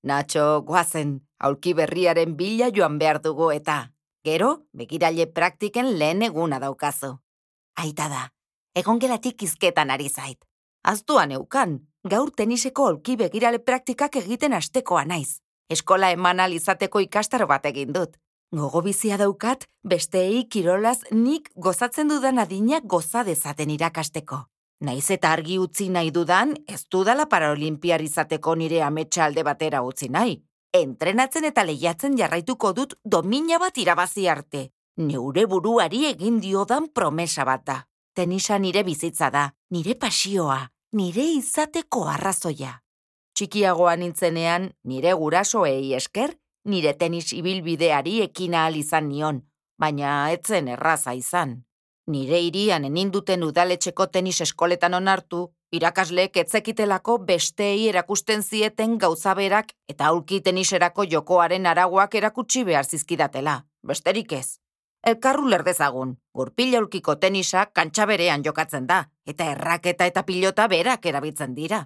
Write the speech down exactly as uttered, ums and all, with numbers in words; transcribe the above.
Natxo, goazen, aulki berriaren bila joan behar dugu eta. Gero, begiraile praktiken lehen eguna daukazu. Aita da, egon gelatik izketan ari zait. Aztuan eukan, gaur teniseko aulki begirale praktikak egiten astekoa naiz. Eskola eman alizateko ikastaro bat egin dut. Gogo bizia daukat, besteei kirolaz nik gozatzen dudan adina goza dezaten irakasteko. Naiz eta argi utzi nahi dudan, ez dudala paraolimpiar izateko nire ametsa alde batera utzi nahi. Entrenatzen eta lehiatzen jarraituko dut domina bat irabazi arte. Neure buruari egin diodan promesa bat da. Tenisa nire bizitza da, nire pasioa, nire izateko arrazoia. Txikiagoa nintzenean, nire gurasoei esker, nire tenis ibilbideari ekin ahal izan nion, baina etzen erraza izan. Nire hirian eninduten udaletxeko tenis eskoletan onartu, irakasleek etzekitelako besteei erakusten zieten gauzaberak eta aulki teniserako jokoaren arauak erakutsi behar zizkidatela, besterik ez. Elkarru lerdezagun, gurpil aulkiko tenisa kantxa berean jokatzen da, eta erraketa eta pilota berak erabiltzen dira.